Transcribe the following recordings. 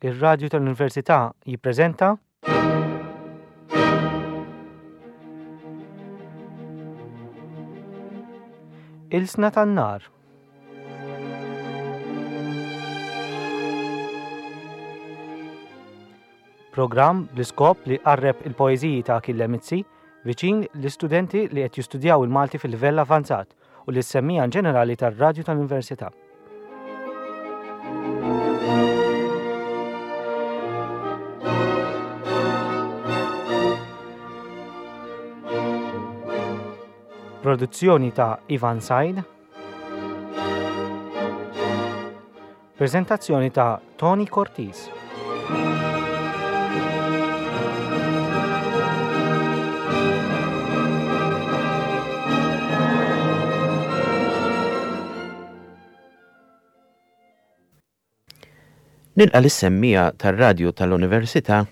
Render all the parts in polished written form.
Ir-Radju tal-Università jippreżenta. Ilsna tan-Nar. Programm bl-iskop li jqarreb il-poeżiji ta' Achille Mizzi viċin l-istudenti li qed jistudjaw il-Malti fil-livell avanzat u lis-semmiegħa ġenerali tar-Radju tal-Università. Produzzjoni ta' Ivan Said. Preżentazzjoni ta' Tony Cortis. Nilqa' lis-semmiegħa tar-Radju tal-Università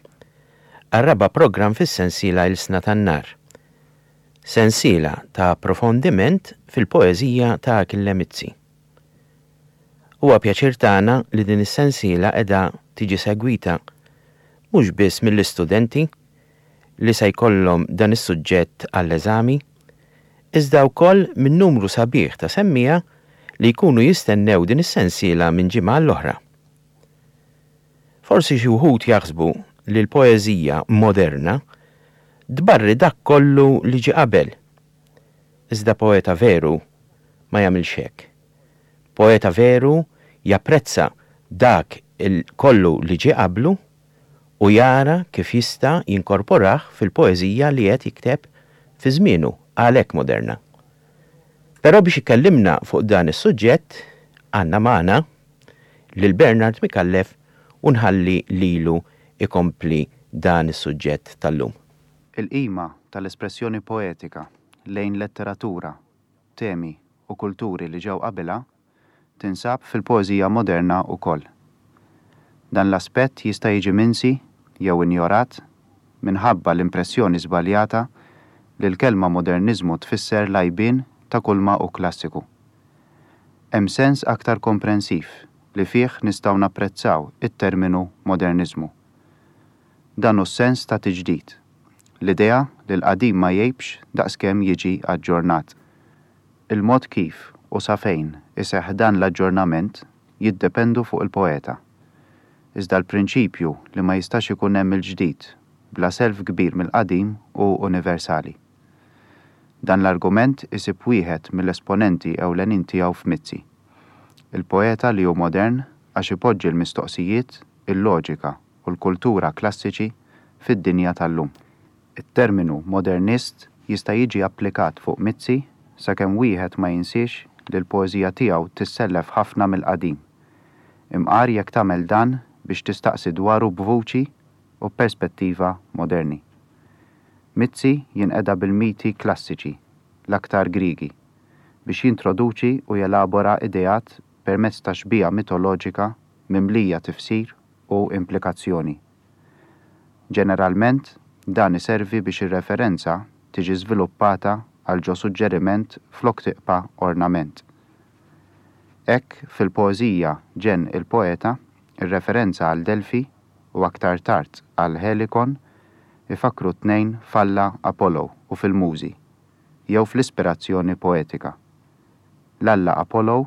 għar-raba' programm fis-sensiela Ilsna tan-Nar, sensiela ta' approfondiment fil-poeżija ta' Achille Mizzi. Huwa pjaċir tagħna li din is-sensiela qiegħda tiġi segwita mhux biss mill-istudenti li se jkollhom dan is-suġġett għall-eżami, iżda wkoll minn numru sabiħ ta' semmiegħa li jkunu jistennew din is-sensiela minn ġimgħa għall-oħra. Forsi xi wħud jaħsbu li l-poeżija moderna tbarri dak kollu li ġie qabel. Iżda poeta veru ma jagħmilx hekk. Poeta veru japprezza dak kollu li ġie qablu u jara kif jista' jinkorporah fil-poeżija li qed jikteb fi żmienu, għalhekk moderna. Però biex ikellimna fuq dan is-suġġett għandna magħna lil Bernard Micallef u nħalli lilu jkompli dan is-suġġett tal-lum. Il-qima tal-espressjoni poetika lejn letteratura, temi u kulturi li ġew qabilha tinsab fil-poeżija moderna wkoll. Dan l-aspett jista' jiġi minsi jew injorat minħabba l-impressjoni żbaljata li l-kelma moderniżmu tfisser l-għajbien ta' kulma hu klassiku. Hemm sens aktar komprensiv li fih nistgħu napprezzaw it-terminu moderniżmu. Dan hu s-sens ta' tiġdid, l-idea li l-qadim ma jgħibx daqskemm jiġi aġġornat. Il-mod kif u sa fejn iseħħ dan l-aġġornament jiddependu fuq il-poeta. Iżda l-prinċipju li ma jistax ikun hemm il-ġdid bla self kbir mill-qadim hu universali. Dan l-argument isib wieħed mill-esponenti ewlenin tiegħu f'Mizzi. Il-poeta li hu modern għax ipoġġi l-mistoqsijiet, il-loġika u l-kultura klassiċi fid-dinja tal-lum. It-terminu modernist jista' jiġi applikat fuq Mizzi sakemm wieħed ma jinsiex li l-poeżija tiegħu tissellef ħafna mill-qadim. Imqar jekk tagħmel dan biex tistaqsi dwaru b'vuċi u b'perspettiva moderni. Mizzi jinqeda bil-miti klassiċi, l-aktar Griegi, biex jintroduċi u jelabora ideat permezz ta' xbieha mitoloġika mimlija tifsir u implikazzjoni. Ġeneralment, dan iservi biex ir-referenza tiġi żviluppata għal ġo suġġeriment flok tiqpa' ornament. Hekk, fil-poeżija Ġenn il-Poeta, ir-referenza għal Delfi, u aktar tard għal Helikon, ifakkru t-tnejn f'alla Apollo u fil-Mużi, jew fl-ispirazzjoni poetika. L-alla Apollo,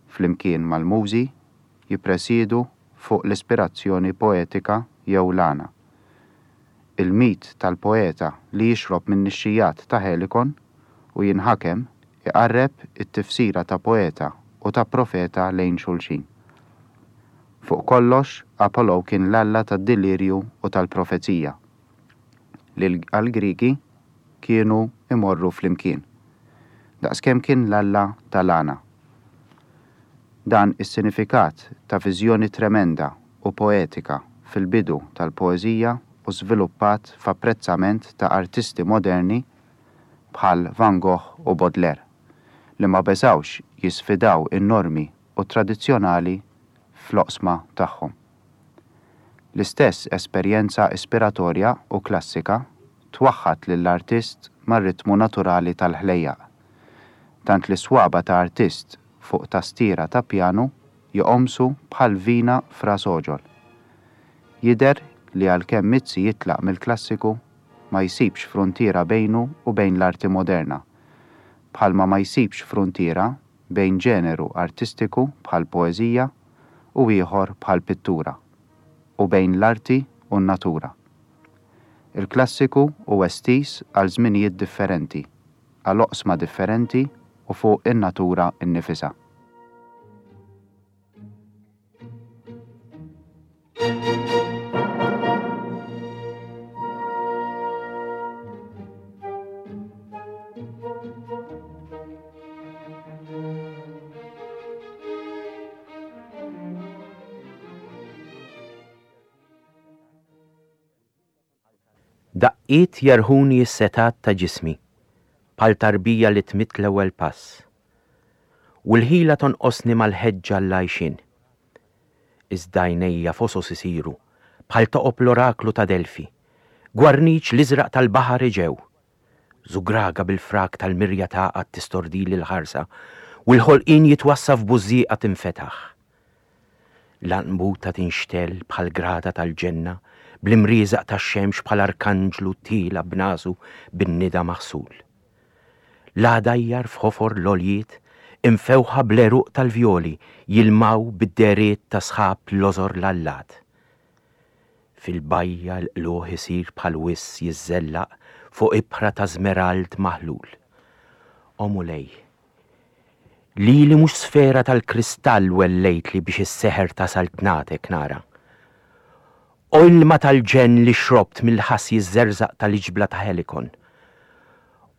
flimkien mal-Mużi, jippresiedu fuq l-ispirazzjoni poetika jew l-għana. Il-mit tal-poeta li jixrob min-nixxijat ta' Helikon u jinħakem iqarreb it-tifsira ta' poeta u ta' profeta lejn xulxin. Fuq kollox, Apollo kien l-alla tad-delirju u tal-profezija, li għall-Griegi kienu jmorru flimkien, daqskemm kien l-alla tal-għana. Dan is-sinifikat ta' viżjoni tremenda u poetika fil-bidu tal-poeżija u żviluppat f'apprezzament ta' artisti moderni bħal Van Gogh u Baudelaire, li ma beżgħux jisfidaw in-normi u t-tradizzjonali fl-oqsma tagħhom. L-istess esperjenza ispiratorja u klassika twaħħad lill-artist mar-ritmu naturali tal-ħlejjaq, tant li s-swaba' ta' artist fuq tastiera ta' pjanu joqomsu bħal vina f'ras għoġol. Jidher li għalkemm Mizzi jitlaq mill-klassiku, ma jsibx fruntiera bejnu u bejn l-arti moderna, bħalma ma jsibx fruntiera bejn ġeneru artistiku bħall-poeżija u ieħor bħall-pittura, u bejn l-arti u n-natura. Il-klassiku hu estiż għal żminijiet differenti, għal oqsma differenti u fuq in-natura nnifisha. Daqqiet jerħuni s-setgħat ta' ġismi bħal tarbija li tmidd l-ewwel pass. U l-ħila tonqosni mal-ħeġġa għall-għajxien. Iżda għajnejja fosos isiru bħal toqob l-oraklu ta' Delfi, gwarniċ l-iżraq tal-baħar Eġew. Żugraga bil-frak tal-mirja tagħqad tistordili l-ħarsa u l-ħolqien jitwassa f'bużżieqa tinfetaħ. L-għanqbuta tinxtegħel bħal grada tal-ġenna bl-imrieżaq tax-xemx bħal arkanġlu tiela' b'nasu bin-nida maħsul. L-għadajjar f'ħofor l-għoljiet imfewħa bl-għeruq tal-vjoli jilmaw bid-dehriet ta' sħab lożor l-allat. Fil-bajja l-qlugħ isir bħal wiżż jiżżellaq fuq ibħra ta' żmerald maħlul. O Mulej! Lili mhux sfera tal-kristall wellejtli biex is-seħer ta' saltnatek nara. O ilma tal-ġenn li xrobt mill-ħass jiżżerżaq tal-iġbla ta' Helikon.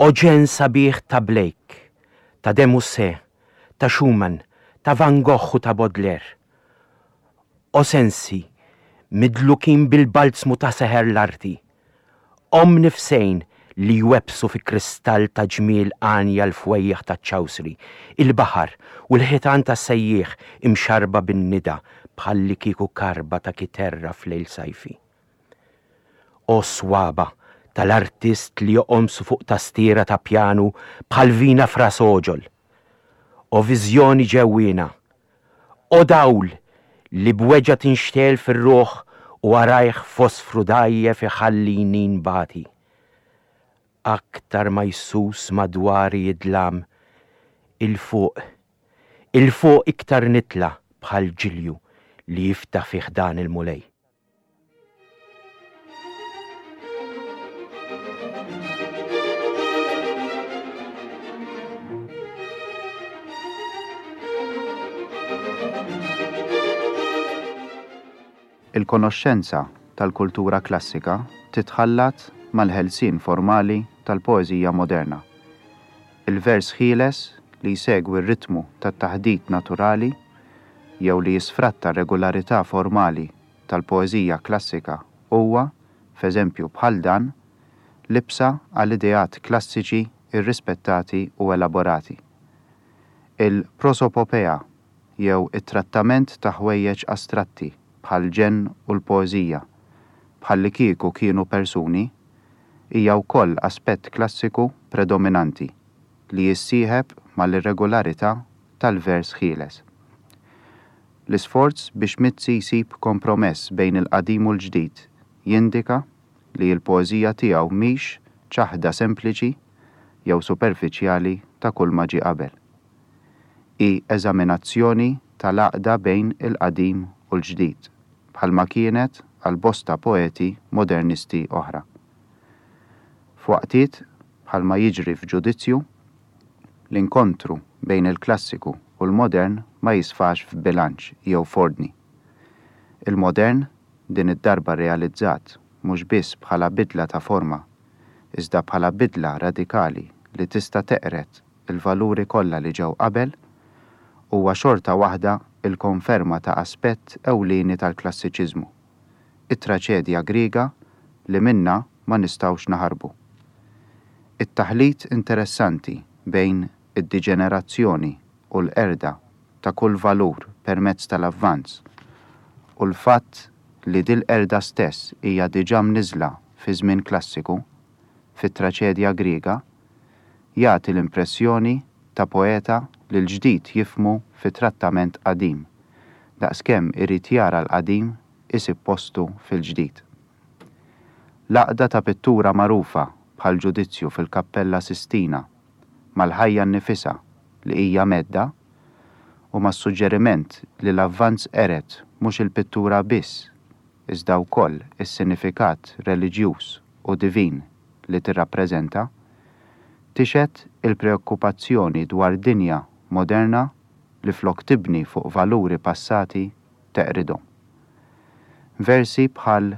O ġenn sabiħ ta' Blake, ta' de Musset, ta' Schumann, ta' Van Gogh u ta' Baudelaire. O sensi, midlukin bil-balzmu ta' seħer l-arti. Omm nifsejn li jwebbsu fi kristall ta' ġmiel għanja l-fwejjaħ taċ-ċawsri, il-baħar u l-ħitan tas-sejjieħ imxarrba bin-nida bħallikieku karba ta' kiterra f'lejl sajfi. O swaba' tal-artist li joqomsu fuq tastiera ta' pjanu bħal vina f'ras għoġol! O viżjoni ġewwiena! O dawl li b'weġgħa tinxtegħel fir-ruħ u warajh fosfru dgħajjef iħallini nbati. Aktar ma jsus madwari id-dlam, 'il fuq, 'il fuq iktar nitla' bħal ġilju li jiftaħ fi ħdan il-Mulej. Il-konoxxenza tal-kultura klassika titħallat mal-ħelsien formali tal-poeżija moderna. Il-vers ħieles li jsegwi r-ritmu tat-taħdit naturali jew li jisfratta r-regolarità formali tal-poeżija klassika huwa, f'eżempju bħal dan, libsa għal ideat klassiċi rrispettati u elaborati. Il-prosopopea jew it-trattament ta' ħwejjeġ astratti bħall-ġenn u l-poeżija, bħallikieku kienu persuni, hija wkoll aspett klassiku predominanti li jissieħeb mal-irregolarità tal-vers ħieles. L-isforz biex Mizzi jsib kompromess bejn il-qadim u l-ġdid jindika li l-poeżija tiegħu mhix ċaħda sempliċi jew superfiċjali ta' kulma ġie qabel. Hi eżaminazzjoni tal-għaqda bejn il-qadim u l-ġdid, bħalma kienet għal bosta poeti modernisti oħra. F'waqtiet, bħalma jiġri f'Ġudizzju, L-inkontru bejn il-klassiku u l-modern ma jisfax f'bilanċ jew f'ordni. Il-modern, din id-darba realizzat mhux biss bħala bidla ta' forma, iżda bħala bidla radikali li tista' teqred il-valuri kollha li ġew qabel, huwa xorta waħda l-konferma ta' aspett ewlieni tal-klassiċiżmu, it-traċedja Griega li minnha ma nistgħux naħarbu. It-taħlit interessanti bejn id-diġenerazzjoni u l-qerda ta' kull valur permezz tal-avvanz u l-fatt li dil-qerda stess hija diġà mniżżla fi żmien klassiku, fit-traċedja Griega, jagħti l-impressjoni ta' poeta li l-ġdid jifhmu fi trattament qadim, daqskemm irid jara l-qadim. isib postu fil-ġdid. L-għaqda ta' pittura magħrufa bħall-Ġudizzju fil-Kappella Sistina mal-ħajja nnifisha li hija medda u mas-suġġeriment li l-avvanz qered mhux il-pittura biss iżda wkoll is-sinifikat reliġjuż u divin li tirrappreżenta, tixhed il-preokkupazzjoni dwar dinja moderna li flok tibni fuq valuri passati teqridhom. Versi bħal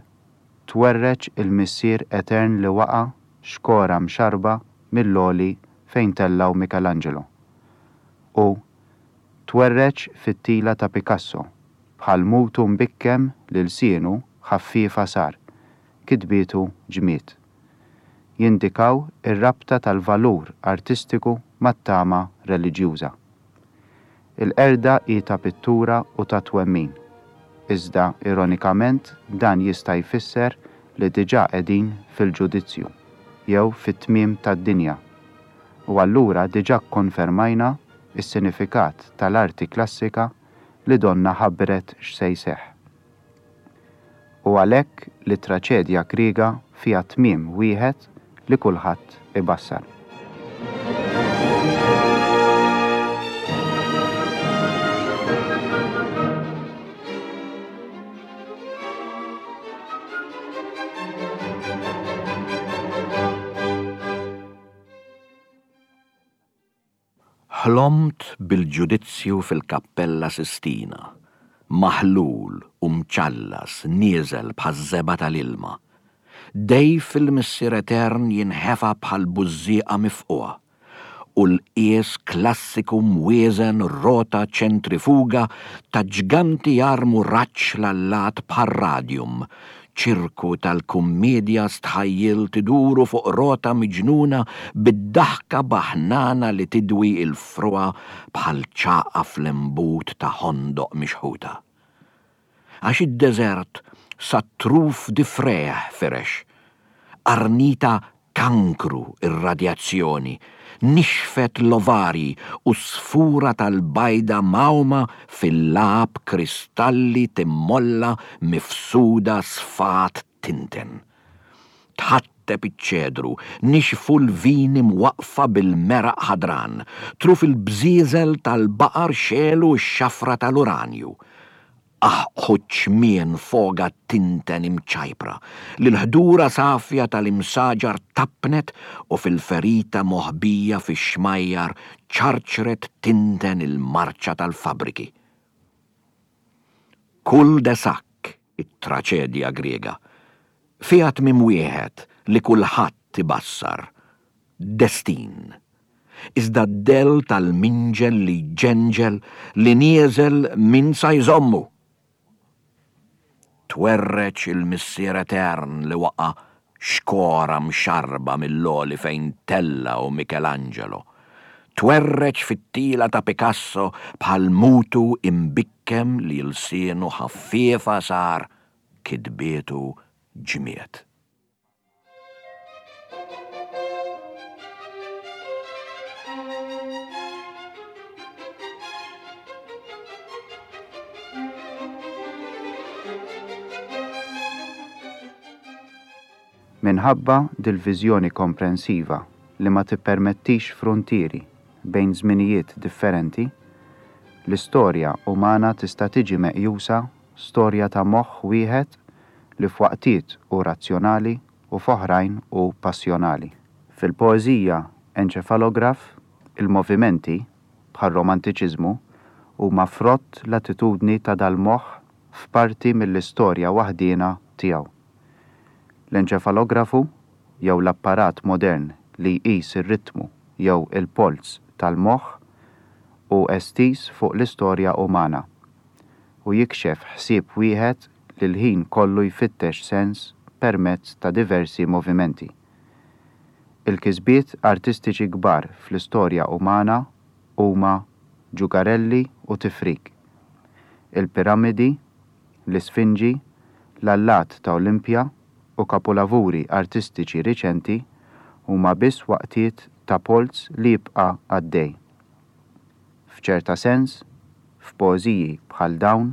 Twerreġ il-Missier Etern li waqa' xkora mxarrba mill-għoli fejn tellgħu Michelangelo u Twerreġ fit-tila ta' Picasso bħal mutu mbikkem li lsienu ħaffiefa sar, kitbietu ġmied. Jindikaw ir-rabta tal-valur artistiku mat-tama reliġjuża. Il-qerda hi ta' pittura u ta' twemmin. Iżda ironikament dan jista' jfisser li diġà qegħdin fil-ġudizzju, jew fit-tmiem tad-dinja. U allura diġà kkonfermajna s-sinifikat tal-arti klassika li donnha ħabbret x'se jseħħ. U għalhekk li t-traċedja Griega fiha tmiem wieħed li kulħadd ibassar. Ħlomt bil-ġudizzju fil-Kappella Sistina, maħlul u mċallas nieżel bħaż-żebgħa tal-ilma. Dejf il-Missier Etern jinħefa bħal bużżieqa mifqugħa, u l-qies klassiku mwieżen rota ċentrifuga ta' ġganti jarmu raġġ l-allat bħar-radium, Ċirku tal-kummiedja stħajjilt iduru fuq rota miġnuna bid-daħka baħnana li tidwi l-frugħa bħal ċagħqa fl-imbut ta' ħondoq mixħuta. Għax id-deżert sat-truf difrejh firex. Qarnita kankru r-radjazzjoni, nixfet l-ovarji u s-sfura tal-bajda mgħawma fil-lagħab kristalli timmolla mifsuda sfat tinten. Tħatteb iċ-ċedru, nixfu l-vini mwaqqfa bil-meraq ħadran, truf il-bżieżel tal-baqar xegħlu x-xafra tal-uranju. Aħqħu ċ-ċmien foga tinten imċajpra, li l-ħdura safja tal-imsaġar tappnet u fil-ferita moħbija fix-xmajjar ċarċret tinten il-marċa tal-fabbriki. Cul de sac, it-traċedja Griega, fiha tmiem wieħed li kulħadd ibassar, destin. Iżda d-dell tal-minġel li jġenġel li nieżel min sa jżommu? Twerreġ il-Missier Etern li waqa' xkora mxarrba mill-għoli fejn tellgħu Michelangelo. Twerreġ fit-tila ta' Picasso bħal mutu imbikkem li lsienu ħaffiefa sar kitbietu ġmied. Minħabba dil-viżjoni komprensiva li ma tippermettix fruntieri bejn żminijiet differenti, l-istorja umana tista' tiġi meqjusa storja ta' moħħ wieħed li f'waqtiet hu razzjonali u f'oħrajn hu passjonali. Fil-poeżija Enċefalograf, il-movimenti, bħar-romantiċiżmu, huma frott l-attitudni ta' dal-moħħ f'parti mill-istorja waħdiena tiegħu. L-enċefalografu, jew l-apparat modern li jqis ir-ritmu jew il-polz tal-moħħ, hu estiż fuq l-istorja umana. u jikxef ħsieb wieħed li l-ħin kollu jfittex sens permezz ta' diversi movimenti. Il-kisbiet artistiċi kbar fl-istorja umana huma ġugarelli u tifrik. Il-piramidi, l-isfinġi, l-allat ta' Olimpja u kapulavuri artistiċi riċenti huma biss waqtiet ta' polz li jibqa' għaddej. F'ċerta sens, f'poeżiji bħal dawn,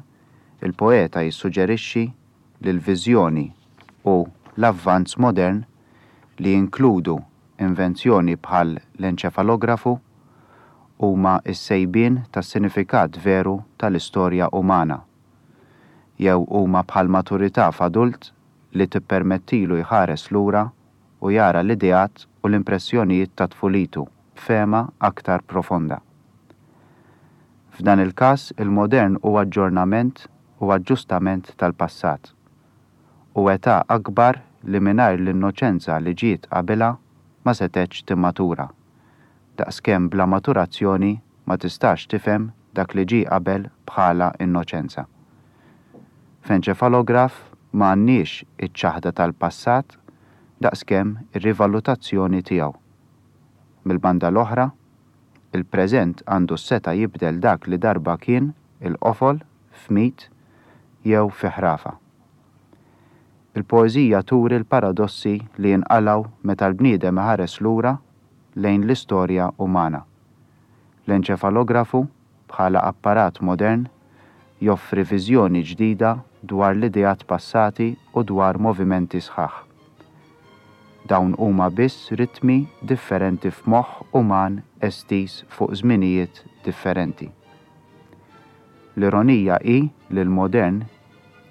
il-poeta jissuġerixxi. li l-viżjoni u l-avvanz modern li jinkludu invenzjoni bħal l-enċefalografu huma s-sejbien tas-sinifikat veru tal-istorja umana, jew huma bħal maturità f'adult li tippermettilu jħares lura u jara l-ideat u l-impressjonijiet ta' tfulitu b'fehma aktar profonda. F'dan il-każ il-modern hu aġġornament u aġġustament tal-passat, u età akbar li mingħajr l-innoċenza li ġiet qabilha ma setgħetx timmatura, daqskemm bla maturazzjoni ma tistax tifhem dak li ġie qabel bħala innoċenza. F'enċefalograf ma għandniex iċ-ċaħda tal-passat daqskemm ir-rivalutazzjoni tiegħu. Mill-banda l-oħra, il-preżent għandu s-setgħa jibdel dak li darba kien il-qofol f'mit jew fi ħrafa. Il-poeżija turi l-paradossi li jinqalgħu meta l-bniedem iħares lura lejn l-istorja umana. L-enċefalografu, bħala apparat modern, joffri viżjoni ġdida dwar l-ideat passati u dwar movimenti sħaħ. Dawn huma biss ritmi differenti f'moħħ uman estiż fuq żminijiet differenti. L-ironija hi li l-modern,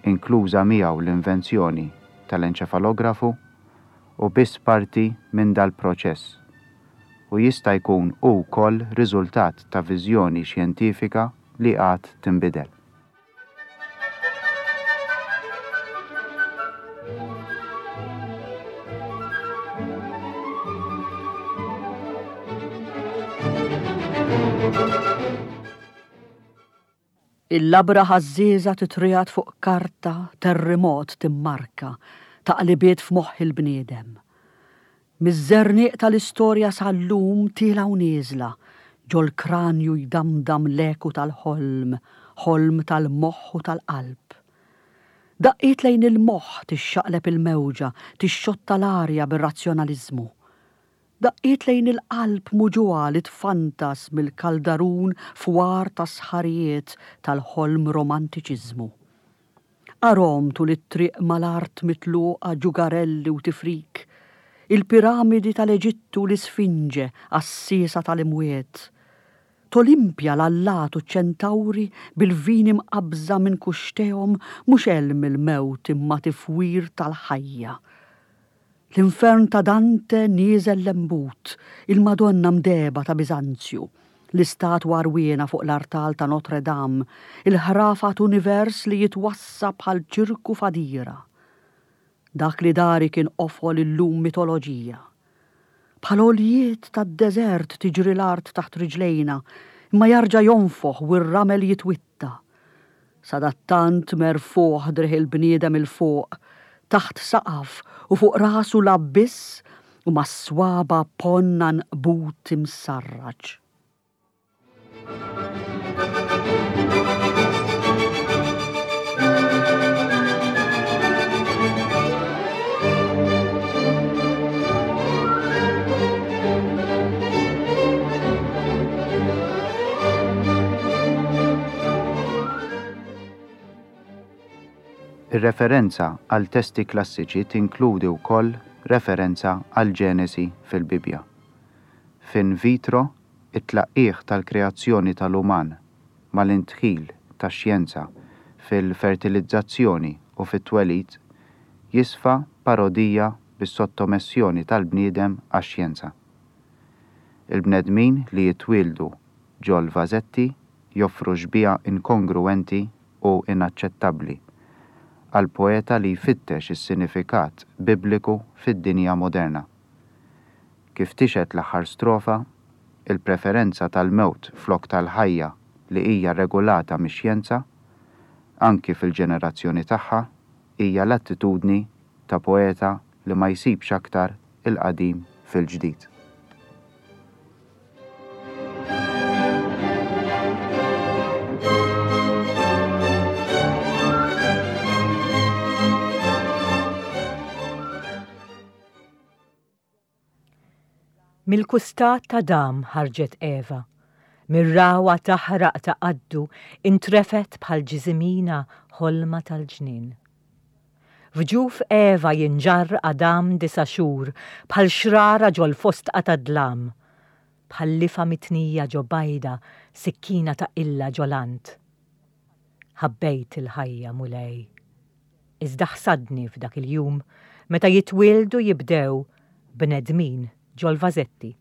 inkluża miegħu l-invenzjoni tal-enċefalografu, hu biss parti minn dal-proċess u jista' jkun hu wkoll riżultat ta' viżjoni xjentifika li għad tinbidel. Il-labra ħażżieża titriegħed fuq karta terrimot timmarka taqlibiet f'moħħ il-bniedem. Miż-żerniq tal-istorja sal-lum tielgħa u nieżla, ġol-kranju jdamdam l-eku tal-ħolm, ħolm tal-moħħ u tal-qalb. Daqqiet lejn il-moħħ tixxaqleb il-mewġa, tixxotta l-arja bir-razzjonaliżmu. Daqqiet lejn il-qalb muġugħa li tfantas mill-kaldarun fwar tas-sħarijiet tal-ħolm romantiċiżmu. Arhom tul it-triq mal-art mitluqa ġugarelli u tifrik, il-piramidi tal-Eġittu u l-Isfinġe għassiesa tal-imwiet. T'Olimpja l-allat u ċ-ċentawri bil-vini mqabbża minn kuxtehom mhux għelm il-mewt imma tifwir tal-ħajja. L-infern ta' Dante nieżel lembut, il-Madonna mdehba ta' Biżanzju, l-istatwa għarwiena fuq l-artal ta' Notre Dame, il-ħrafa t'univers li jitwassa' bħal ċirku f'għadira. Dak li dari kien qofol illum mitoloġija. Bħal għoljiet tad-deżert tiġri l-art taħt riġlejna, imma jarġa' jonfoħ u r-ramel jitwitta. Sadattant merfugħ driegħ il-bniedem 'il fuq, taħt saqaf u fuq rasu l-abbiss u mas-swaba' ponn għanqbut imsarraġ. Ir-referenza għal testi klassiċi tinkludi wkoll referenza għall-Ġenesi fil-Bibbja. F'In Vitro, it-tlaqqigħ tal-kreazzjoni tal-uman mal-indħil tax-xjenza fil-fertilizzazzjoni u fit-twelid jisfa parodija bis-sottomessjoni tal-bniedem għax-xjenza. Il-bnedmin li jitwieldu ġol-vażetti joffru xbieha inkongruwenti u inaċċettabbli għall-poeta li jfittex is-sinifikat Bibliku fid-dinja moderna. Kif tixhed l-aħħar strofa, il-preferenza tal-mewt flok tal-ħajja li hija regolata mix-xjenza, anki fil-ġenerazzjoni tagħha, hija l-attitudni ta' poeta li ma jsibx aktar il-qadim fil-ġdid. Mill-kustat t'Adam ħarġet Eva. Mir-ragħwa taħraq ta' qaddu intrefgħet bħal ġiżimina ħolma tal-ġnien. F'ġuf Eva jinġarr Adam disa' xhur bħal xrara ġol-fosdqa tad-dlam. Bħal lifgħa mitnija ġo bajda sikkina ta' qilla ġo lant. Ħabbejt il-ħajja, Mulej. Iżda ħsadni f'dak il-jum meta jitwieldu jibdew bnedmin ġol-vażetti.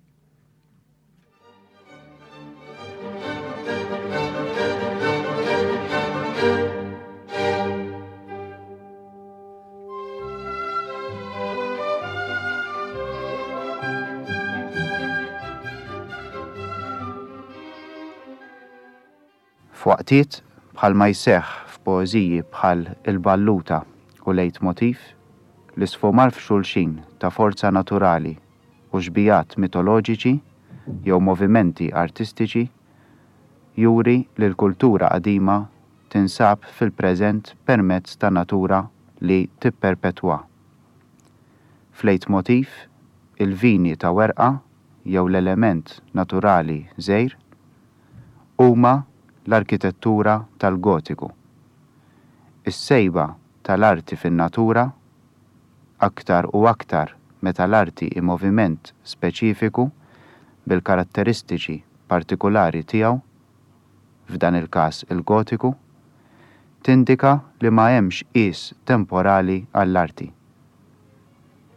F'waqtiet, bħalma jseħħ f'poeżiji bħal Il-Balluta u Leitmotiv, l-isfumar f'xulxin ta' forza naturali u xbihat mitoloġiċi jew movimenti artistiċi juri li l-kultura qadima tinsab fil-preżent permezz ta' natura li tipperpetwa. F'leitmotiv, il-vini ta' werqa jew l-element naturali żgħir huma l-arkitettura tal-Gotiku. Is-sejba tal-arti fin-natura aktar u aktar meta l-arti hi moviment speċifiku bil-karatteristiċi partikulari tiegħu, f'dan il-każ il-Gotiku, tindika li ma hemmx qies temporali għall-arti.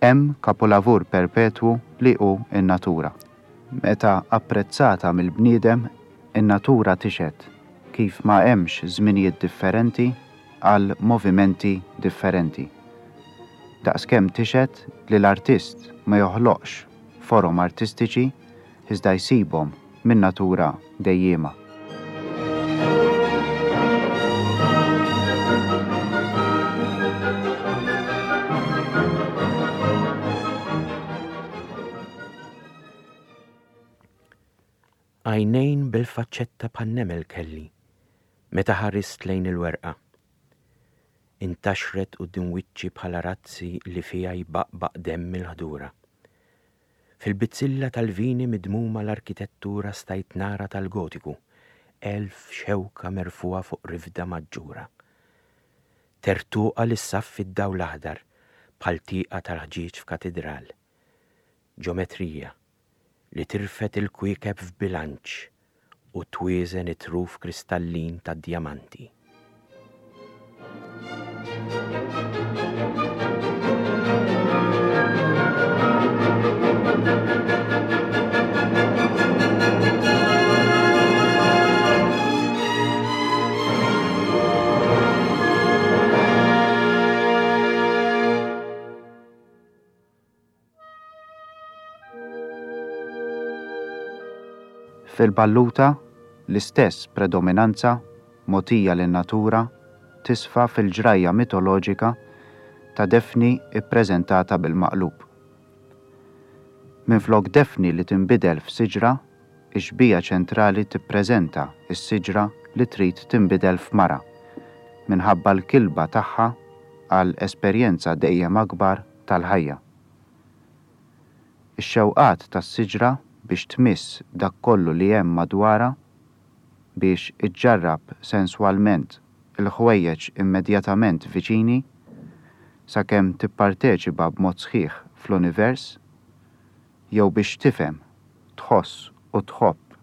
Hemm kapulavur perpetwu li hu n-natura. Meta apprezzata mill-bniedem, in-natura tixhed kif ma hemmx żminijiet differenti għal movimenti differenti. Daqskemm tixhed li l-artist ma joħloqx forom artistiċi iżda jsibhom min-natura dejjiema. Għajnejn bil-faċċetta bħan-nemel kelli meta ħarist lejn il-werqa. Intaxret quddiem wiċċi bħala razzi li fiha jbaqbaq demm il-ħdura. Fil-bizzilla tal-vini midmuma l-arkitettura stajt nara tal-Gotiku, elf xewka merfugħa fuq rifda maġġura. Tertuqa li ssaffi d-dawl aħdar bħal tieqa tal-ħġieġ f'katidral. Ġometrija li tirfed il-kwiekeb f'bilanċ u twieżen it-truf kristallin tad-djamanti. Fil-balluta, l-istess predominanza mogħtija lin-natura tisfa fil-ġrajja mitoloġika ta' Defni ppreżentata bil-maqlub. Minflok Defni li tinbidel f'siġra, ix-xbieha ċentrali tippreżenta s-siġra li trid tinbidel f'mara, minħabba l-kilba tagħha għal esperjenza dejjem akbar tal-ħajja. Ix-xewqat tas-siġra biex tmiss dak kollu li hemm madwarha, biex iġġarrab senswalment il-ħwejjeġ immedjatament viċini, sakemm tipparteċipa b'mod sħiħ fl-univers, jew biex tifhem, tħoss u tħobb,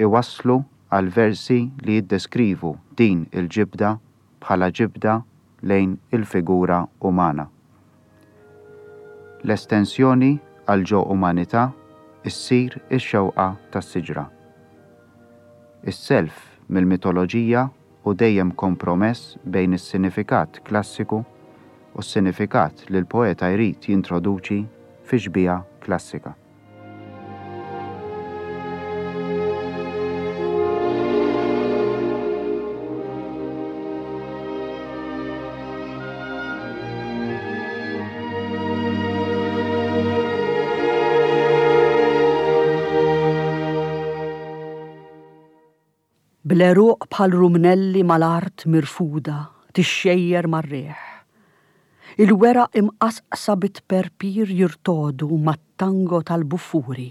iwasslu għal versi li jiddeskrivu din il-ġibda bħala ġibda lejn il-figura umana. L-estensjoni għal ġo umanità ssir ix-xewqa tas-siġra. Is-self mill-mitoloġija hu dejjem kompromess bejn is-sinifikat klassiku u s-sinifikat li l-poeta jrid jintroduċi fix-xbieha klassika. Bl-għeruq bħal rumnelli mal-art mirfuda tixxejjer mar-riħ. Il-weraq imqasqsa bit-tperpir jirtogħdu mat-tango tal-buffuri.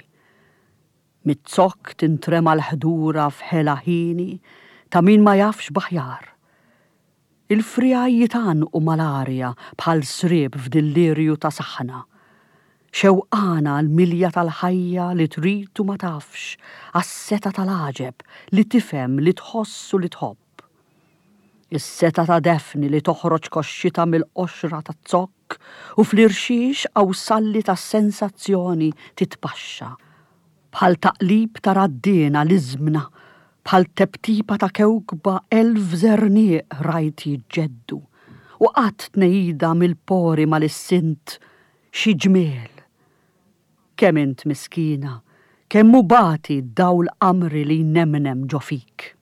Miz-zokk tintrema l-ħdura f'ħela ħieni ta' min ma jafx b'aħjar. Il-friegħi jitgħannqu mal-arja bħal sriep f'dillirju ta' saħna. Xewqana għall-milja tal-ħajja li trid u ma tafx, għas-setgħa tal-għaġeb li tifhem, li tħoss u li tħobb. Is-setgħa ta' Daphne li toħroġ koxxitha mill-qoxra taz-zokk u fl-irxix qawsalli tas-sensazzjoni titpaxxa. Bħal taqlib ta' raddiena l-iżmna, bħal teptipa ta' kewkba elf żerniq rajt jiġġeddu, u qatt tnehida mill-pori ma lissint xi ġmiel. Kemm int miskina, kemm hu bati d-dawl qamri li jnemnem ġo fik.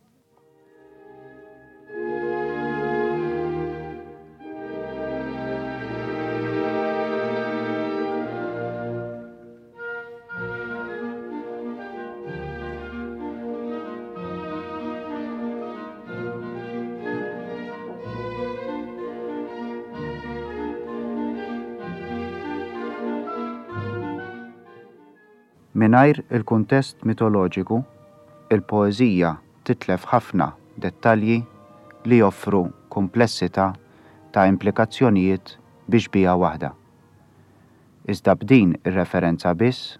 Mingħajr il-kuntest mitoloġiku, il-poeżija titlef ħafna dettalji li joffru kumplessità ta' implikazzjonijiet bi xbieha waħda. Iżda b'din ir-referenza biss,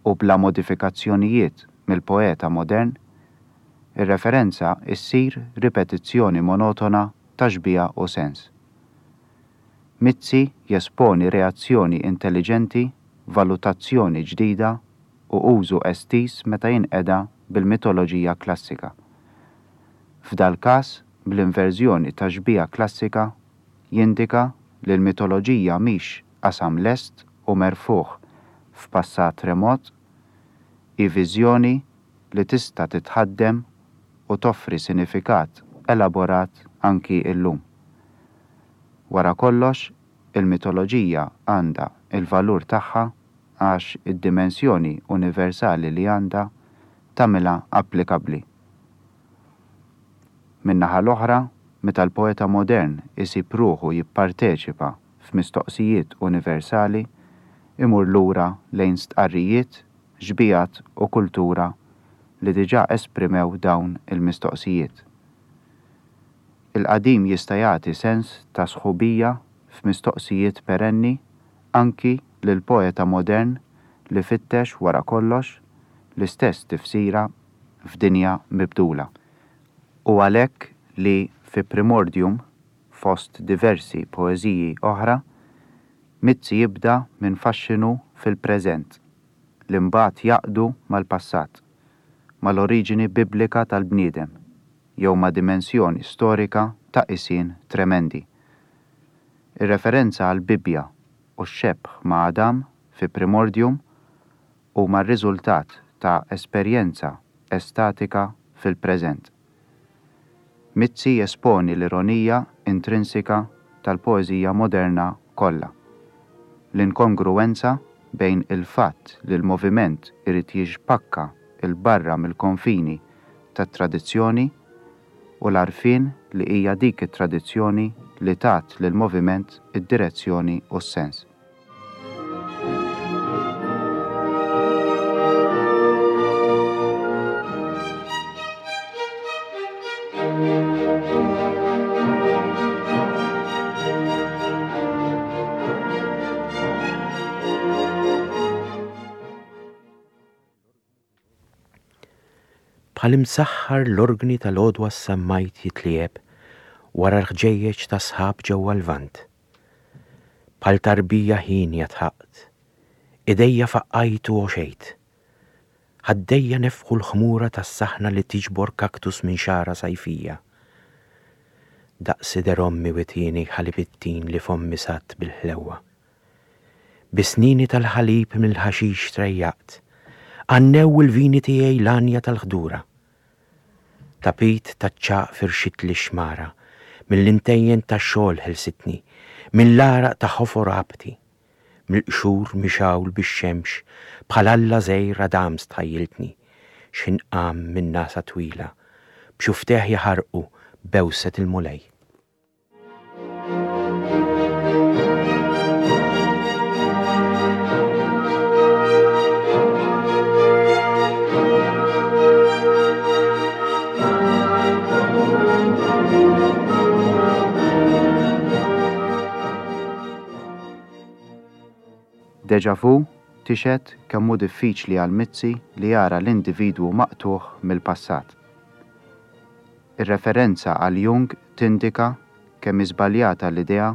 u bla modifikazzjonijiet mill-poeta modern, ir-referenza ssir ripetizzjoni monotona ta' xbieha u sens. Mizzi jesponi reazzjoni intelliġenti, valutazzjoni ġdida u użu estiż meta jinqeda bil-mitoloġija klassika. F'dal-każ, bl-inverżjoni tax-xbieha klassika, jindika li l-mitoloġija mhix qasam lest u merfugħ f'passat remot, hi viżjoni li tista' titħaddem u toffri sinifikat elaborat anki llum. Wara kollox, il-mitoloġija għandha l-valur tagħha għax id-dimensjoni universali li għandha tagħmilha applikabbli. Min-naħa l-oħra, meta l-poeta modern isib ruħu jipparteċipa f'mistoqsijiet universali, imur lura lejn stqarrijiet, xbihat u kultura li diġà esprimew dawn il-mistoqsijiet. Il-qadim jista' jagħti sens ta' sħubija f'mistoqsijiet perenni anki lill-poeta modern li fittex wara kollox l-istess tifsira f'dinja mibdula. Hu għalhekk li fi Primordium, fost diversi poeżiji oħra, Mizzi jibda minn faxxinu fil-preżent li mbagħad jgħaqqdu mal-passat, mal-oriġini biblika tal-bniedem jew ma' dimensjoni storika ta' qisien tremendi. Ir-referenza għall-Bibbja u x-xebh ma' Adam fi Primordium huma r-riżultat ta' esperjenza estatika fil-preżent. Mizzi jesponi l-ironija intrinsika tal-poeżija moderna kollha, l-inkongruwenza bejn il-fatt li l-moviment irid jixpakka 'l barra mill-konfini tat-tradizzjoni u l-għarfien li hija dik it-tradizzjoni li tat lill-moviment id-direzzjoni u s-sens. Bħal imsaħħar l-orgni tal-għodwa s-sammajt jitliegħeb wara l-ħġejjeġ ta' sħab ġewwa l-Lvant. Bħal tarbija hienja dħaqt. Idejja faqqajt u għoxejt. Ħaddejja nefħu l-ħmura tas-saħna li tiġbor kaktus minn xagħra sajfija. Daqs sider ommi witieni ħalib it-tin li fommi sadd bil-ħlewwa. Bi snini tal-ħalib mill-ħaxix trejjaqt, għannew il-vini tiegħi l-għanja tal-ħdura. Tapit taċ-ċagħaq firxitli x-xmara, mill-intejjen tax-xogħol ħelsitni, mill-għaraq ta' ħofor għabti. Mill-qxur mixgħul bix-xemx bħal alla żgħir Adam stħajjiltni, x'ħin qam minn nagħsa twila, b'xufftejh jaħarqu bewset il-Mulej. Deja vu tixhed kemm hu diffiċli għal Mizzi li jara l-individwu maqtugħ mill-passat. Ir-referenza għal Jung tindika kemm hi żbaljata l-idea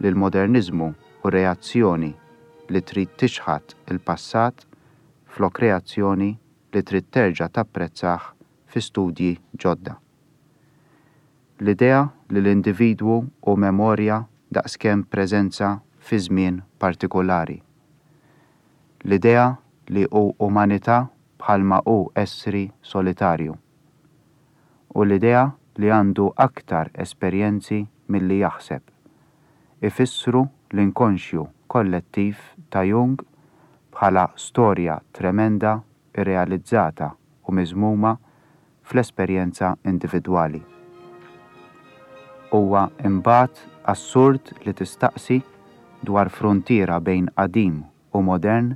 li l-moderniżmu hu reazzjoni li trid tiċħad il-passat flok reazzjoni li trid terġa' tapprezzah fi studji ġodda. L-idea li l-individwu hu memorja daqskemm preżenza fi żmien partikulari. L-idea li hu umanità bħalma hu essri solitarju. U l-idea li għandu aktar esperjenzi milli jaħseb, ifissru l-inkonxju kollettiv ta' Jung bħala storja tremenda rrealizzata u miżmuma fl-esperjenza individwali. Huwa imbagħad assurd li tistaqsi dwar fruntiera bejn qadim u modern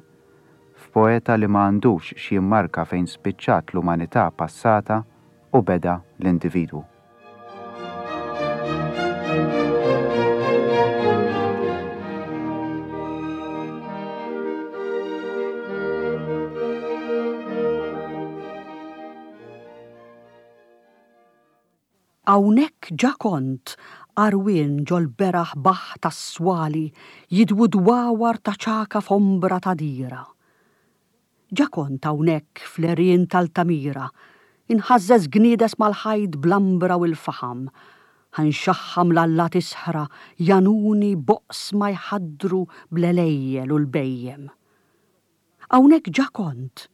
f'poeta li ma għandux x'jimmarka fejn spiċċat l-umanità passata u beda l-individwu. Hawnhekk ġa kont għarwien ġol-beraħ baħħ tas-swali jidwu dwawar ta' ċagħka f'ombra ta' dira. Ġa kont hawnhekk fl-għerien t'Altamira, inħażżeż gniedes mal-ħajt bl-ambra u l-faħam, ħa nxaħħam l-allat isħra jagħnuni b'oqsma jħaddru bl-għelejjel u l-bhejjem. Hawnhekk ġa kont,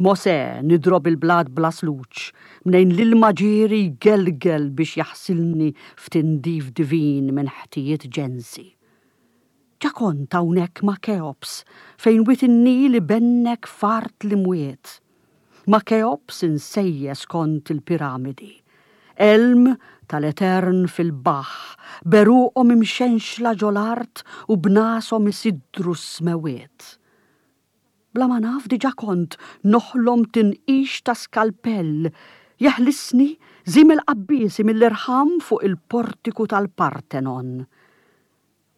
Mosè nidrob il-blat bla sluġ, mnejn l-ilma ġieri jgelgel biex jaħsilni f'tindif divin minn ħtijiet ġensi. Ġa kont hawnhekk ma' Keops fejn wied in-Nil ibennek f'art l-imwiet. Ma' Keops insejjes kont il-piramidi. Għelm tal-etern fil-baħħ, b'għeruqhom imxenxla ġol-art u b'nashom isiddru s-smewwiet. Bla ma naf diġa kont noħlom tinqix ta' skalpell jeħlisni żiemel qabbiesi mill-irħam fuq il-portiku tal-Partenon.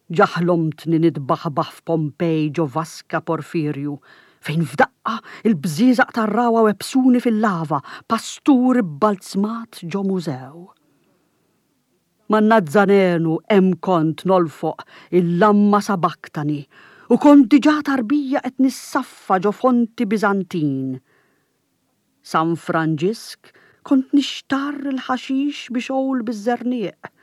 Ġa ħlomtni nitbaħbaħ f'Pompej ġo vaska Porfirju, fejn f'daqqa il-bżieżaq tar-ragħwa webbsuni fil-lava, pastur ibbalzmat ġo mużew. Man-Nazzarenu hemm kont nolfoq il-lamma sabaktani u kont diġà tarbija qed nissaffa ġo fonti Biżantin. San Franġisk kont nixtarr il-ħaxix bi xogħol biż-żerniq.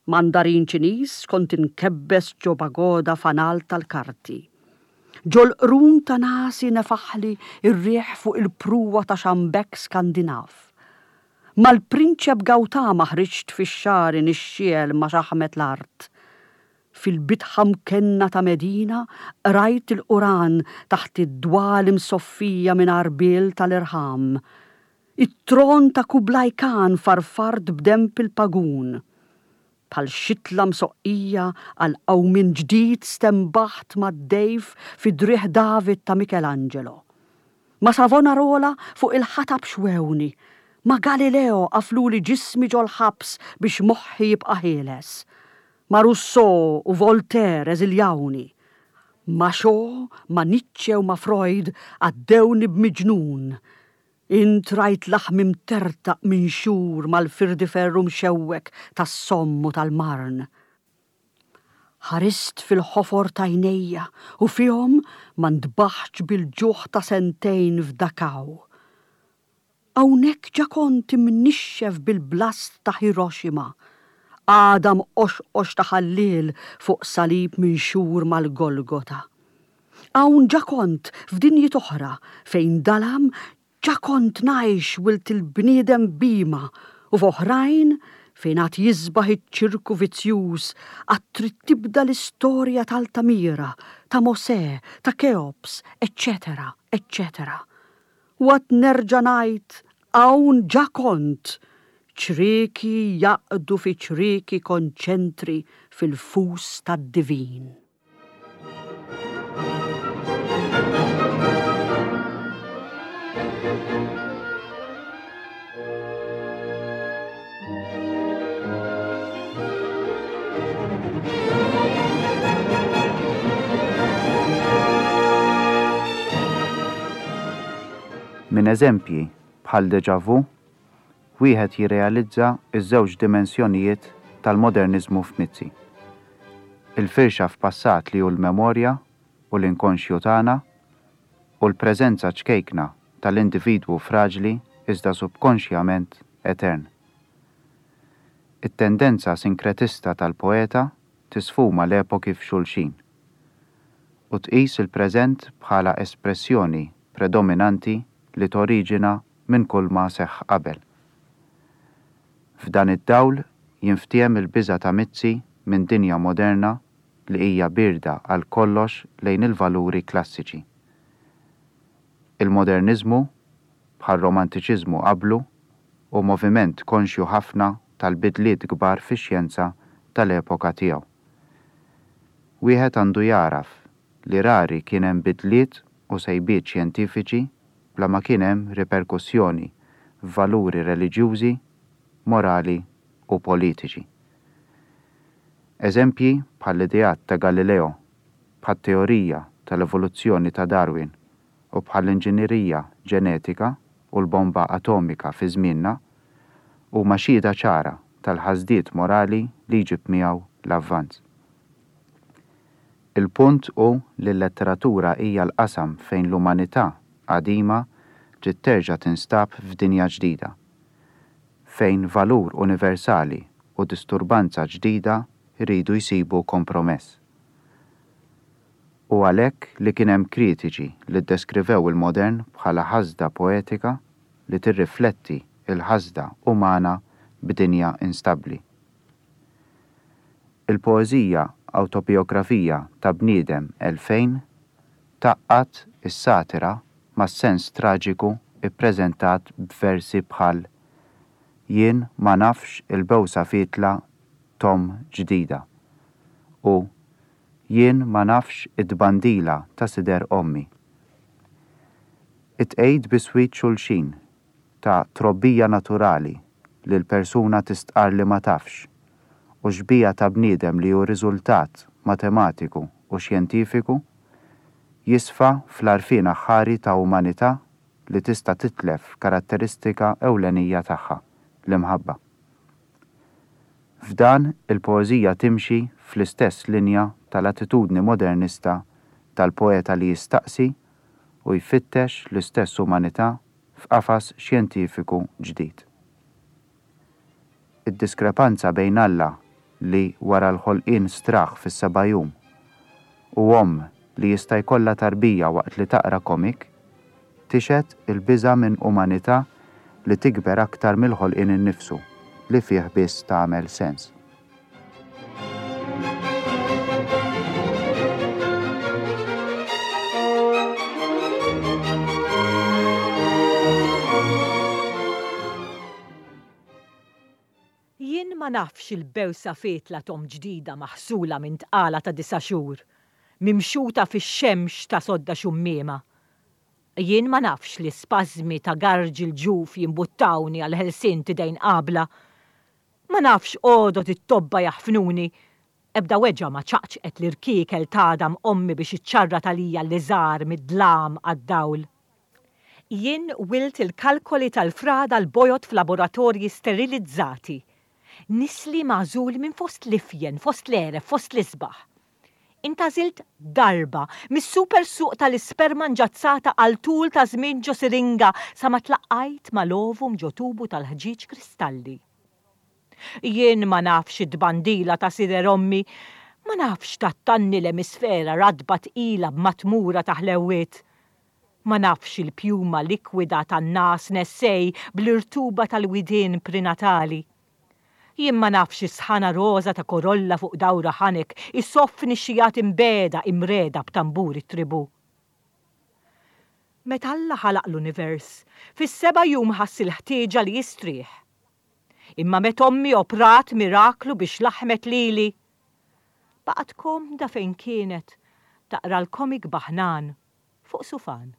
Mandarin Ċiniż kont inkebbes ġo pagoda fanal tal-karti. Ġol-qrun ta' nagħsi nefaħli r-riħ fuq il-pruwa ta' xambekk Skandinav. Mal-Prinċep Gautama ħriġt fix-xagħri nixxiegħel ma' xaħmet l-art. Fil-bitħa mkenna ta' Medina qrajt il-Quran taħt id-dwal imsoffija minn għarbiel tal-irħam. It-tron ta' Kublai Khan farfart b'denb il-pagun. Bħal xitla msoqqija għal qawmien ġdid stenbaħt mad-dejf fi driegħ David ta' Michelangelo. Ma' Savonarola fuq il-ħatab xwewni. Ma' Galileo qafluli ġismi ġol-ħabs biex moħħi jibqa' ħieles. Ma' Rousseau u Voltaire eżiljawni. Ma' Shaw, ma' Nietzsche u ma' Freud għaddewni b'miġnun. Int rajt laħmi mtertaq minn xhur mal-firdiferru mxewwek tas-Somme u tal-Marne. Ħarist fil-ħofor t'għajnejja u fihom ma ntbaħtx bil-ġuħ ta' sentejn f'Dachau. Hawnhekk ġa kont imnixxef bil-blast ta' Hiroshima, għadam qoxqox ta' ħalliel fuq salib minxur mal-Golgota. Hawn ġa kont f'dinjiet oħra fejn dalam ġa kont ngħix wild il-bniedem bhima u f'oħrajn fejn għad jisbaħ iċ-ċirku vizzjuż għad trid tibda l-istorja t'Altamira, ta' Mosè, ta' Keops, eċċetera, eċċetera. U għad nerġa' ngħid hawn ġa kont! Ċrieki jgħaqqdu fi ċrieki konċentri fil-fus tad-divin. Minn eżempji bħal Déjà Vu, wieħed jirrealizza ż-żewġ dimensjonijiet tal-moderniżmu f'Mizzi. Il-firxa f'passat li hu l-memorja u l-inkonxju tagħna u l-preżenza ċkejkna tal-individwu fraġli iżda subkonxjament etern. It-tendenza sinkretista tal-poeta tisfuma l-epoki f'xulxin u tqis il-preżent bħala espressjoni predominanti li toriġina minn kulma seħħ qabel. F'dan id-dawl jinftiehem il-biża' ta' Mizzi minn dinja moderna li hija bierda għal kollox lejn il-valuri klassiċi. Il-moderniżmu, bħar-romantiċiżmu qablu, hu moviment konxju ħafna tal-bidliet kbar fix-xjenza tal-epoka tiegħu. Wieħed għandu jagħraf li rari kien hemm bidliet u sejbiet xjentifiċi bla ma kien hemm riperkussjoni f'valuri reliġjużi, morali u politiċi. Eżempji bħall-ideat ta' Galileo, bħat-teorija tal-evoluzzjoni ta' Darwin u bħall-inġinierija ġenetika u l-bomba atomika fi żmienna, huma xhieda ċara tal-ħasdiet morali li jġib miegħu l-avvanz. Il-punt hu li l-letteratura hija l-qasam fejn l-umanità qadima trid terġa' tinstab f'dinja ġdida, fejn valur universali u disturbanza ġdida jridu jsibu kompromess. Hu għalhekk li kien hemm kritiċi li ddeskrivew il-modern bħala ħasda poetika li tirrifletti l-ħasda umana b'dinja instabbli. Il-poeżija Awtobijografija ta' Bniedem 2000 tgħaqqad is-satira mas-sens traġiku ppreżentat b'versi bħal Jien ma nafx il-bewsa fietla t'omm ġdida u Jien ma nafx it-tbandila ta' sider ommi. It-tqegħid biswit xulxin ta' trobbija naturali li l-persuna tistqarr li ma tafx u xbieha ta' bniedem li hu riżultat matematiku u xjentifiku jisfa fl-għarfien aħħari ta' umanità li tista' titlef karatteristika ewlenija tagħha, l-imħabba. F'dan, il-poeżija timxi fl-istess linja tal-attitudni modernista tal-poeta li jistaqsi u jfittex l-istess umanità f'qafas xjentifiku ġdid. Id-diskrepanza bejn Alla li wara l-ħolqien straħ fis-seba' jum u omm li jista' jkollha tarbija waqt li taqra komik tixhed il-biża' minn umanità li tikber aktar mill-ħolqien innifsu li fih biss tagħmel sens. Jien ma nafx il-bewsa fietla t'omm ġdida maħsula minn tqala ta' disa' xhur, mimxuta fix-xemx ta' sodda xummiema. Jien ma nafx li spażmi ta' garġ il-ġuf jimbuttawni għall-ħelsien t'idejn qabla. Ma nafx għodod it-tobba jaħfnuni. Ebda weġgħa ma ċaqċqet l-irkiekel t'għadam ommi biex iċċarrat għalija l-liżar mid-dlam għad-dawl. Jien wilt il-kalkoli tal-frada l-bojod f'laboratorji sterilizzati. Nisli magħżul minn fost l-ifjen, fost l-għeref, fost l-isbaħ. Intgħażilt darba mis-super suq tal-isperma nġazzata għal tul ta' żmien ġo siringa sa ma tlaqqajt mal-ovum ġo tubu tal-ħġieġ kristalli. Jien ma nafx it-tbandila ta' sider ommi, ma nafx tgħattanni l-emisfera ratba tqila b'matmura ta' ħlewwiet. Ma nafx il-pjuma likwida tan-ngħas nessej bl-irtuba tal-widien prinatali. Jien ma nafx is-sħana roża ta' korolla fuq dawra ħanek isoff nixxijat imbiegħda imriegħda b'tambur it-tribù. Meta Alla ħalaq l-univers, fis-seba' jum ħass il-ħtieġa li jistrieħ. Imma meta ommi oprat miraklu biex laħmet lili, baqgħet komda fejn kienet taqra l-komik baħnan fuq sufan.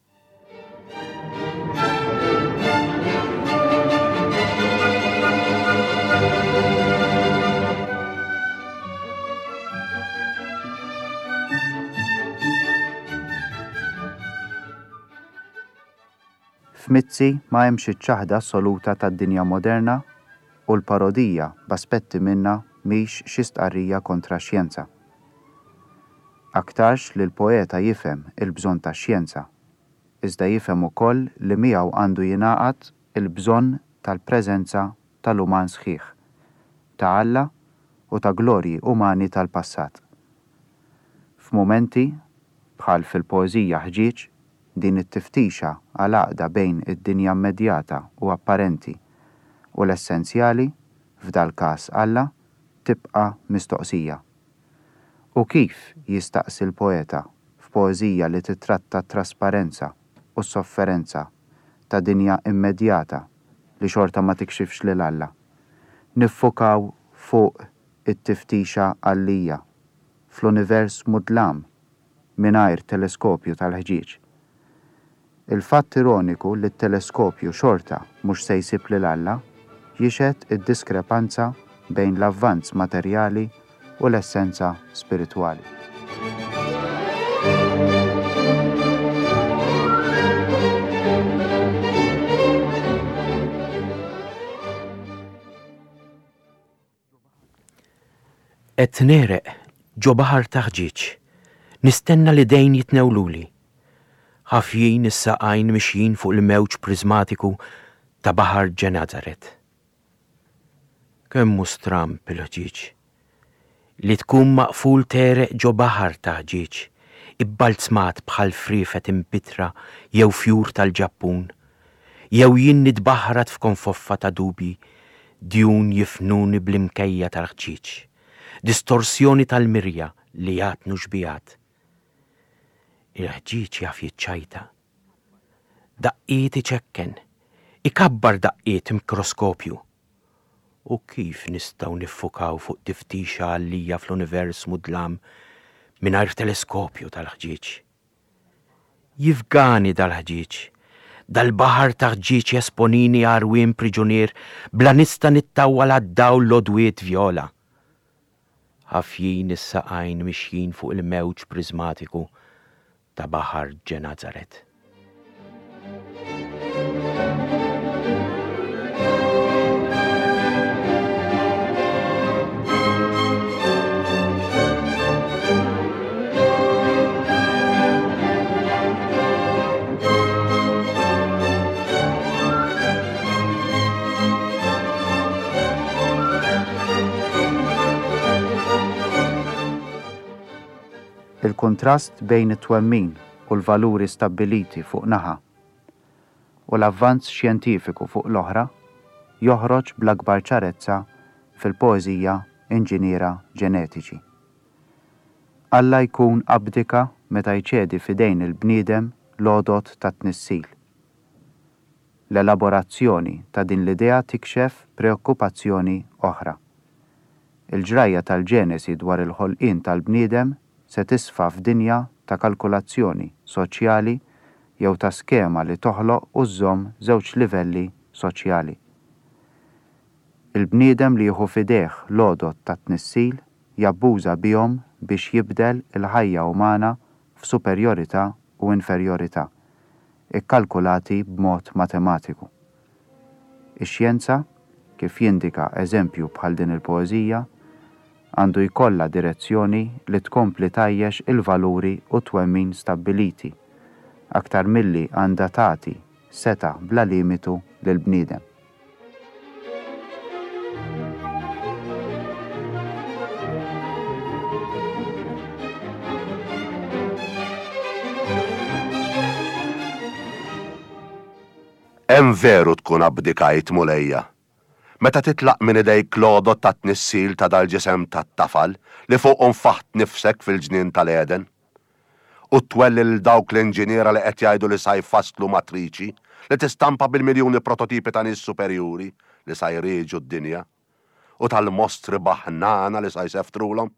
F'Mizzi ma hemmx iċ-ċaħda assoluta tad-dinja moderna u l-parodija b'aspetti minnha mhix xi stqarrija kontra x-xjenza. Aktarx li l-poeta jifhem il-bżonn tax-xjenza, iżda jifhem ukoll li miegħu għandu jingħaqad il-bżonn tal-preżenza tal-uman sħiħ, ta' Alla u ta' glorji umani tal-passat. F'mumenti, bħal fil-poeżija Ħġieġ, din it-tiftixa għal għaqda bejn id-dinja immedjata u apparenti u l-essenzjali, f'dal-każ Alla, tibqa' mistoqsija. U kif, jistaqsi l-poeta f'poeżija li tittratta t-trasparenza u s-sofferenza ta' dinja immedjata li xorta ma tikxifx lil Alla, niffukaw fuq it-tiftixa għallija fl-univers mudlam mingħajr teleskopju tal-ħġieġ. Il-fatt ironiku li t-teleskopju xorta mhux se jsib lil Alla jixhed id-diskrepanza bejn l-avvanz materjali u l-essenza spiritwali. Qed negħreq ġo baħar ta' ħġieġ, nistenna l-idejn jitnewluli. Ħafjin is-saqajn mixjin fuq il-mewġ priżmatiku ta' baħar Ġenazaret. Kemm hu stramb il-ħġieġ! Li tkun maqful tegħreq ġo baħar ta' ħġieġ, ibbalzmat bħal friefet impittra jew fjur tal-Ġappun, Jew jien nitbaħħrat f'konfoffa ta' dubji, djun jifnuni bl-imkejja tal-ħġieġ, distorsjoni tal-mirja li jagħtnu xbigħat. Il-ħġieġ jaf jiċċajta. Daqqiet iċekken, ikabbar daqqiet mikroskopju. U kif nistgħu niffukaw fuq tiftixa għallija fl-univers mudlam mingħajr teleskopju tal-ħġieġ? Jifgani dal-ħġieġ. Dal-baħar ta' ħġieġ jesponini għarwien priġunier bla nista' nittawwal għad-dawl l-għodwiet vjola. Ħafjin is-saqajn mixjin fuq il-mewġ priżmatiku ta' baħar Ġenazaret. Il-kuntrast bejn it-twemmin u l-valuri stabbiliti fuq naħa u l-avvanz xjentifiku fuq l-oħra joħroġ bl-akbar ċarezza fil-poeżija Inġiniera Ġenetiċi. Alla jkun abdika meta jċedi f'idejn il-bniedem l-għodod tat-tnissil. L-elaborazzjoni ta' din l-idea tikxef preokkupazzjoni oħra. Il-ġrajja tal-Ġenesi dwar il-ħolqien tal-bniedem se tisfa f'dinja ta' kalkulazzjoni soċjali jew ta' skema li toħloq u żżomm żewġ livelli soċjali. Il-bniedem li jieħu f'idejh l-għodod tat-tnissil jabbuża bihom biex jibdel il-ħajja umana f'superjorità u inferjorità, ikkalkulati b'mod matematiku. Ix-xjenza, kif jindika eżempju bħal din il-poeżija, għandu jkollha direzzjoni li tkompli tgħajjex il-valuri u t-twemmin stabbiliti, aktar milli għandha tagħti setgħa bla limitu lill-bniedem. Hemm veru tkun abdikajt, Mulejja, meta titlaq minn idejk l-għodod tat-tnissil ta' dal-ġisem tat-tafal li fuqu nfaħt nifsek fil-ġnien tal-Għeden. U twelli lil dawk l-inġiniera li qed jgħidu li sa jfasslu matriċi li tistampa bil-miljuni prototipi ta' nies superjuri li sa jrieġu d-dinja, u tal-mostri baħnana li sa jseftrulhom.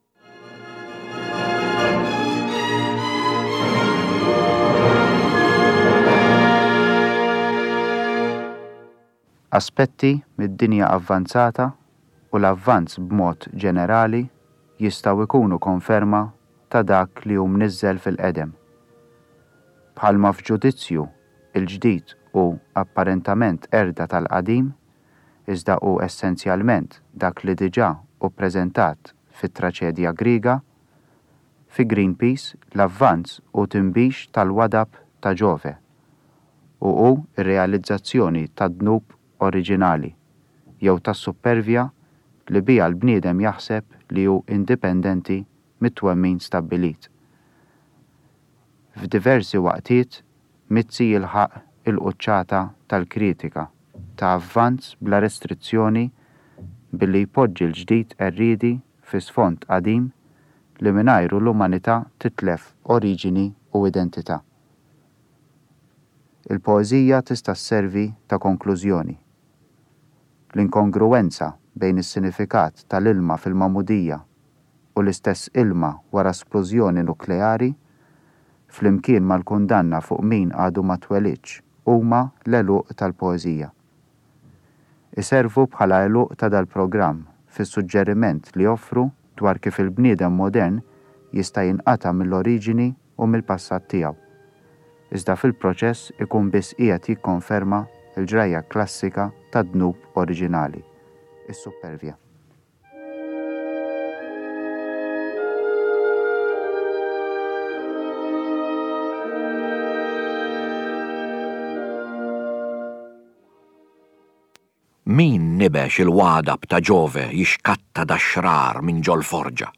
Aspetti mid-dinja avvanzata u l-avvanz b'mod ġenerali jistgħu jkunu konferma ta' dak li hu mniżżel fil-qedem. Bħalma f'ġudizzju, il-ġdid hu. hu apparentament qerda tal-qadim, iżda hu essenzjalment dak li diġà hu ppreżentat fit-traċedja Griega, fi Greenpeace l-avvanz hu tinbix tal-wadab ta' Ġove u hu r-realizzazzjoni tad-dnub oriġinali jew tas-suppervja li biha l-bniedem jaħseb li hu indipendenti mit-twemmin stabbilit. F'diversi waqtiet Mizzi jilħaq il-quċċata tal-kritika ta' avvanz bla restrizzjoni billi jpoġġi l-ġdid qerriedi fi sfond qadim li mingħajru l-umanità titlef oriġini u identità. Il-poeżija tista' sservi ta' konklużjoni. L-inkongruwenza bejn is-sinifikat tal-ilma fil-magħmudija u l-istess ilma wara splużjoni nukleari, flimkien mal-kundanna fuq min għadu ma twelidx huma l-għeluq tal-poeżija. Iservu bħala għeluq ta' dal-programm fis-suġġeriment li joffru dwar kif il-bniedem modern jista' jinqata' mill-oriġini u mill-passat tiegħu. Iżda fil-proċess ikun biss qiegħed jikkonferma l-ġrajja klassika tad-dnub oriġinali, is-suppervja. Min nibex il-għadab ta' Ġove jixkatta dax-xrar minn ġol-forġa?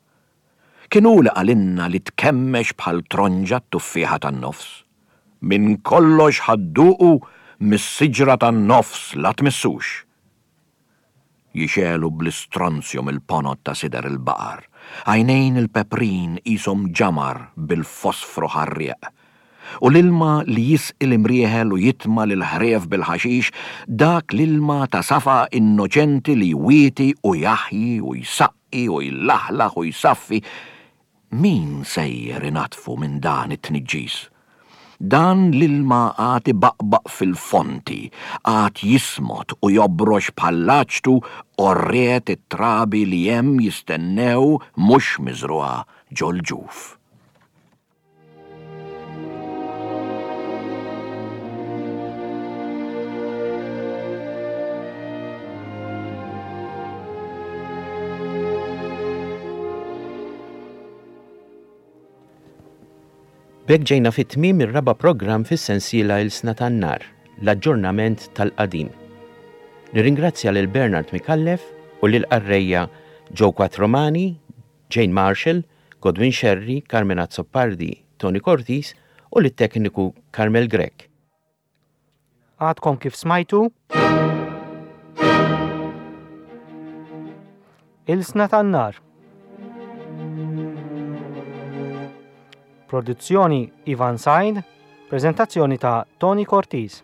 Kien hu li qalilna li tkemmex bħal tronġa t-tuffieħa tan-nofs. Minn kollox ħa dduqu mis-siġra tan-nofs la tmissux. Jixegħlu bl-istronzju mill-ponot ta' sider il-baqar. Għajnejn il-peprin qishom ġamar bil-fosfru ħarrieq. U l-ilma li jisqi l-imrieħel u jitma' lill-ħrief bil-ħaxix, dak l-ilma ta' safa innoċenti li jwieti u jaħji u jsaqqi u jlaħlaħ u jsaffi, min sejjer inaddfu minn dan it-tniġġis? Dan l-ilma għad ibaqbaq fil-fonti, għad jismot u jobrox bħall-aċtu għorriet it-trabi li hemm jistennew mhux miżrugħa ġol-ġuf. B'hekk ġejna fi tmiem ir-raba' programm fis-sensiela Ilsna tan-Nar, l-aġġornament tal-qadim. Nirringrazzja lil Bernard Micallef u lill-qarrejja Joe Quattromani, Jane Marshall, Godwin Scerri, Carmen Azzopardi, Toni Cortis u lit-tekniku Carmel Grech. Għadkom kif smajtu Ilsna tan-Nar. Produzzjoni Ivan Said, preżentazzjoni ta' Toni Cortis.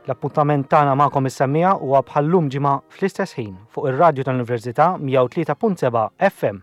L-appuntament tagħna magħkom is-semmiegħa huwa bħal-lum ġimgħa fl-istess ħin fuq ir-radju tal-Università 103.7 FM.